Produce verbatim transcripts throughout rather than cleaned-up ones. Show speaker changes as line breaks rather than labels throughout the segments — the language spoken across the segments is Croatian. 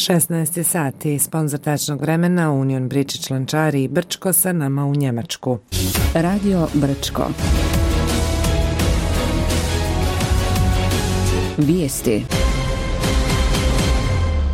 šesnaest sati, sponzor tačnog vremena Union Bridge Člančari i Brčko sa nama u Njemačku.
Radio Brčko. Vijesti.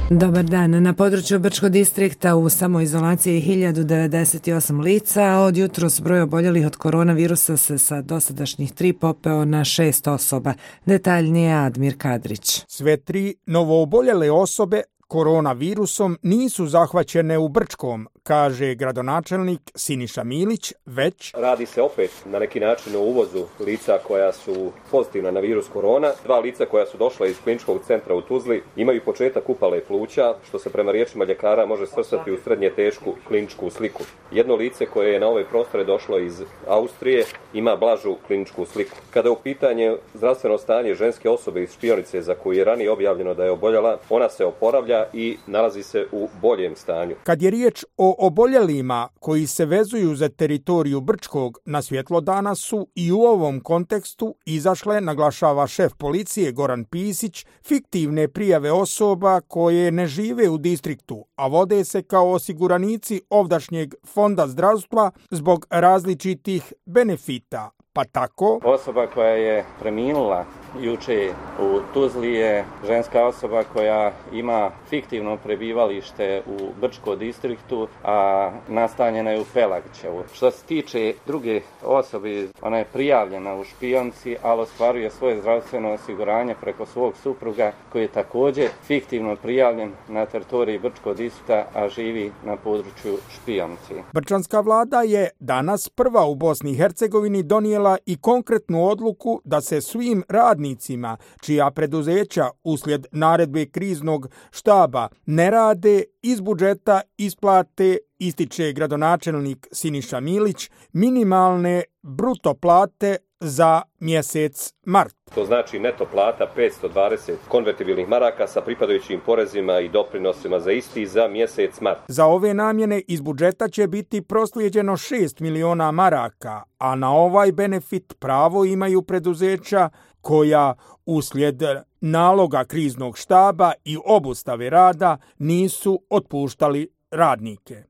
Dobar dan. Na području Brčko distrikta u samoizolaciji hiljadu devedeset osam lica, a od jutros broj oboljelih od koronavirusa se sa dosadašnjih tri popeo na šest osoba. Detaljnije Admir Kadrić.
Sve tri novooboljele osobe koronavirusom nisu zahvaćene u Brčkom, kaže gradonačelnik Siniša Milić, već
radi se opet na neki način o uvozu lica koja su pozitivna na virus korona. Dva lica koja su došla iz kliničkog centra u Tuzli imaju početak upale pluća, što se prema riječima ljekara može svrstati u srednje tešku kliničku sliku. Jedno lice koje je na ove prostore došlo iz Austrije ima blažu kliničku sliku. Kada je u pitanje zdravstveno stanje ženske osobe iz Špionice za koju je ranije objavljeno da je oboljela, ona se oporavlja i nalazi se u boljem stanju.
Kad je riječ o oboljelima koji se vezuju za teritoriju Brčkog, na svjetlo dana su i u ovom kontekstu izašle, naglašava šef policije Goran Pisić, fiktivne prijave osoba koje ne žive u distriktu, a vode se kao osiguranici ovdašnjeg fonda zdravstva zbog različitih benefita. Pa tako
osoba koja je preminula juče u Tuzli je ženska osoba koja ima fiktivno prebivalište u Brčko distriktu, a nastanjena je u Pelagićevu. Što se tiče druge osobe, ona je prijavljena u Špionci, ali ostvaruje svoje zdravstveno osiguranje preko svog supruga koji je također fiktivno prijavljen na teritoriji Brčko distrikta, a živi na području Špionci.
Brčanska vlada je danas prva u Bosni i Hercegovini donijela i konkretnu odluku da se svim radnicima čija preduzeća uslijed naredbe kriznog štaba ne rade iz budžeta isplate, ističe gradonačelnik Siniša Milić, minimalne bruto plate za mjesec mart.
To znači neto plata petsto dvadeset konvertibilnih maraka sa pripadajućim porezima i doprinosima za isti za mjesec mart.
Za ove namjene iz budžeta će biti proslijeđeno šest miliona maraka, a na ovaj benefit pravo imaju preduzeća koja uslijed naloga kriznog štaba i obustave rada nisu otpuštali radnike.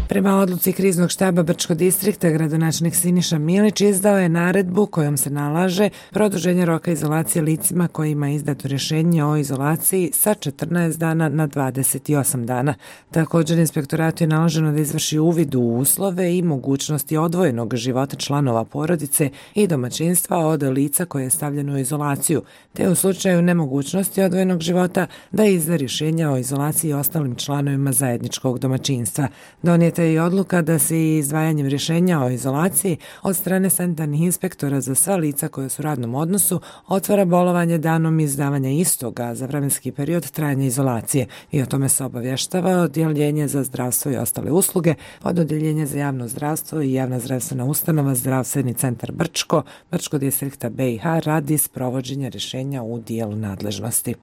Prema odluci kriznog štaba Brčko distrikta, gradonačelnik Siniša Milić izdao je naredbu kojom se nalaže produženje roka izolacije licima kojima je izdato rješenje o izolaciji sa četrnaest dana na dvadeset osam dana. Također, inspektoratu je naloženo da izvrši uvid u uslove i mogućnosti odvojenog života članova porodice i domaćinstva od lica koje je stavljeno u izolaciju, te u slučaju nemogućnosti odvojenog života da izda rješenja o izolaciji ostalim članovima zajedničkog domaćinstva. Donijeta je i odluka da se i izdvajanjem rješenja o izolaciji od strane sanitarnih inspektora za sva lica koja su u radnom odnosu otvara bolovanje danom izdavanja istoga za vremenski period trajanja izolacije i o tome se obavještava Odjeljenje za zdravstvo i ostale usluge, pod Odjeljenje za javno zdravstvo i javna zdravstvena ustanova Zdravstveni centar Brčko, Brčko distrikta B i H radi sprovođenja rješenja u dijelu nadležnosti.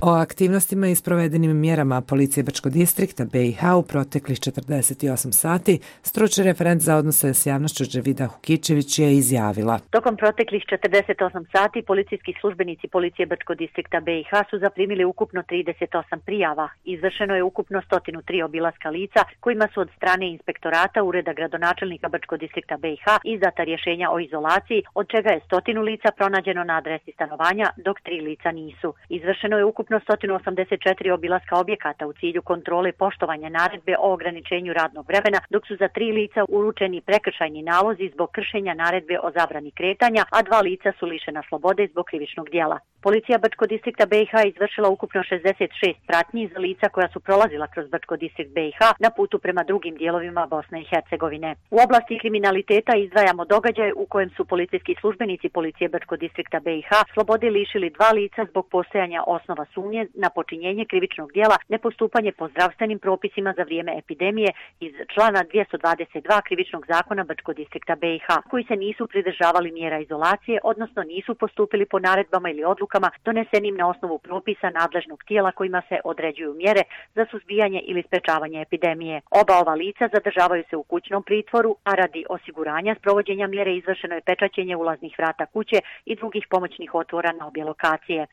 O aktivnostima i sprovedenim mjerama policije Brčko distrikta B i H u proteklih četrdeset osam sati stručni referent za odnose s javnošću Dževida Hukičević je izjavila.
Tokom proteklih četrdeset osam sati policijski službenici policije Brčko distrikta B i H su zaprimili ukupno trideset osam prijava. Izvršeno je ukupno sto tri obilaska lica kojima su od strane inspektorata Ureda gradonačelnika Brčko distrikta B i H izdata rješenja o izolaciji, od čega je stotinu lica pronađeno na adresi stanovanja, dok tri lica nisu. Izvršeno je ukupno sto osamdeset četiri obilaska objekata u cilju kontrole poštovanja naredbe o ograničenju radnog vremena, dok su za tri lica uručeni prekršajni nalozi zbog kršenja naredbe o zabrani kretanja, a dva lica su lišena slobode zbog krivičnog djela. Policija Brčko distrikta B i H izvršila ukupno šezdeset šest pratnji za lica koja su prolazila kroz Brčko distrikt B i H na putu prema drugim dijelovima Bosne i Hercegovine. U oblasti kriminaliteta izdvajamo događaj u kojem su policijski službenici policije Brčko distrikta B i H slobode lišili dva lica zbog postojanja osnova sumnje na počinjenje krivičnog djela nepostupanje po zdravstvenim propisima za vrijeme epidemije iz člana dvjesto dvadeset dva krivičnog zakona Brčko distrikta B i H, koji se nisu pridržavali mjera izolacije, odnosno nisu postupili po naredbama ili odlukama donesenim na osnovu propisa nadležnog tijela kojima se određuju mjere za suzbijanje ili sprečavanje epidemije. Oba ova lica zadržavaju se u kućnom pritvoru, a radi osiguranja sprovođenja mjere izvršeno je pečaćenje ulaznih vrata kuće i drugih pomoćnih otvora na obje lokacije.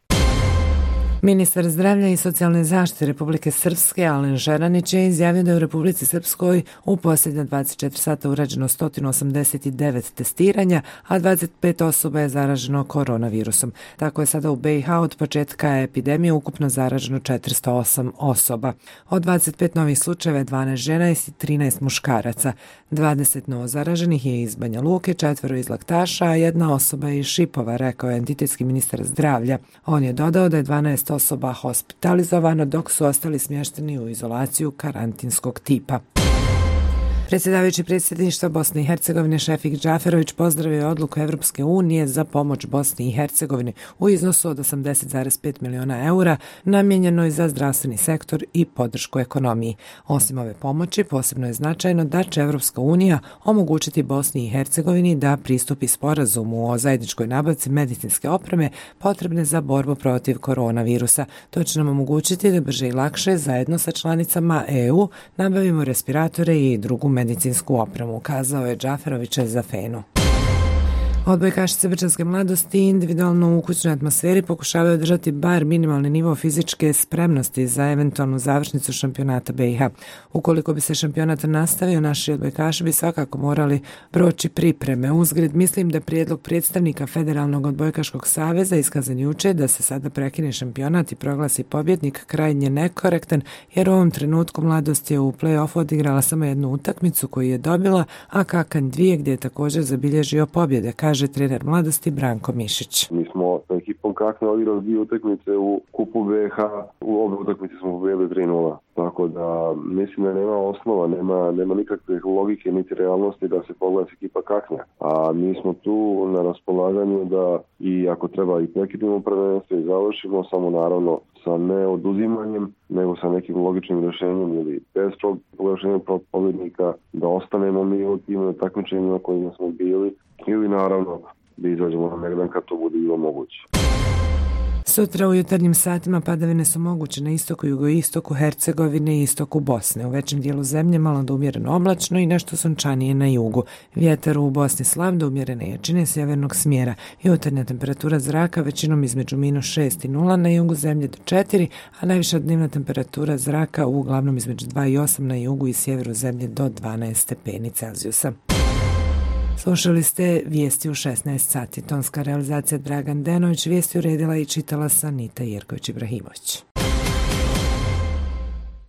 Ministar zdravlja i socijalne zaštite Republike Srpske Alen Žeranić je izjavio da je u Republici Srpskoj u posljednja dvadeset četiri sata urađeno sto osamdeset devet testiranja, a dvadeset pet osoba je zaraženo koronavirusom. Tako je sada u B i H od početka epidemije ukupno zaraženo četiristo osam osoba. Od dvadeset pet novih slučajeva je dvanaest žena i trinaest muškaraca. dvadeset novo zaraženih je iz Banja Luke, četvero iz Laktaša, a jedna osoba je iz Šipova, rekao je entitetski ministar zdravlja. On je dodao da je dvanaest osoba hospitalizovano, dok su ostali smješteni u izolaciju karantinskog tipa. Predsjedavajući predsjedništva Bosne i Hercegovine Šefik Džaferović pozdravio je odluku Evropske unije za pomoć Bosni i Hercegovini u iznosu od osamdeset zarez pet miliona eura namijenjenoj za zdravstveni sektor i podršku ekonomiji. Osim ove pomoći, posebno je značajno da će Evropska unija omogućiti Bosni i Hercegovini da pristupi sporazumu o zajedničkoj nabavci medicinske opreme potrebne za borbu protiv koronavirusa. To će nam omogućiti da brže i lakše zajedno sa članicama E U nabavimo respiratore i drugu medicinsku opremu, kazao je Džaferović za Fenu. Odbojkašice Brčanske mladosti individualno u kućnoj atmosferi pokušavaju održati bar minimalni nivo fizičke spremnosti za eventualnu završnicu šampionata B i H. Ukoliko bi se šampionat nastavio, naši odbojkaši bi svakako morali proći pripreme. Uzgred, mislim da prijedlog predstavnika Federalnog odbojkaškog saveza iskazan juče da se sada prekine šampionat i proglasi pobjednik krajnje nekorektan, jer u ovom trenutku mladost je u play-offu odigrala samo jednu utakmicu koju je dobila, a Kakan dvije gdje je također zabilježio pobjede, kaže trener mladosti Branko Mišić.
Mi smo sa ekipom Kakne odigrali dvije utakmice u kupu B H, u obe utakmice smo pobjedili tri nula. Tako da mislim da nema osnova, nema, nema nikakve logike niti realnosti da se poglasi ekipa Kaknja. A mi smo tu na raspolaganju da i ako treba i prekidimo prvenstvo i završimo, samo naravno sa ne oduzimanjem, nego sa nekim logičnim rješenjem ili bez proglašenja pobjednika, da ostanemo mi u tim takmičenjima kojima smo bili ili naravno da izađemo na megdan kad to bude bilo moguće.
Sutra u jutarnjim satima padavine su moguće na istoku, jugoistoku Hercegovine i istoku Bosne. U većem dijelu zemlje malo do umjereno oblačno i nešto sunčanije na jugu. Vjetar u Bosni slab do umjerene jačine sjevernog smjera. Jutarnja temperatura zraka većinom između minus šest i nula, na jugu zemlje do četiri, a najviša dnevna temperatura zraka uglavnom između dva i osam na jugu i sjeveru zemlje do dvanaest stepeni Celzijusa. Slušali ste vijesti u šesnaest sati. Tonska realizacija Dragan Denović, vijesti uredila i čitala sa Anita Jerković Ibrahimović.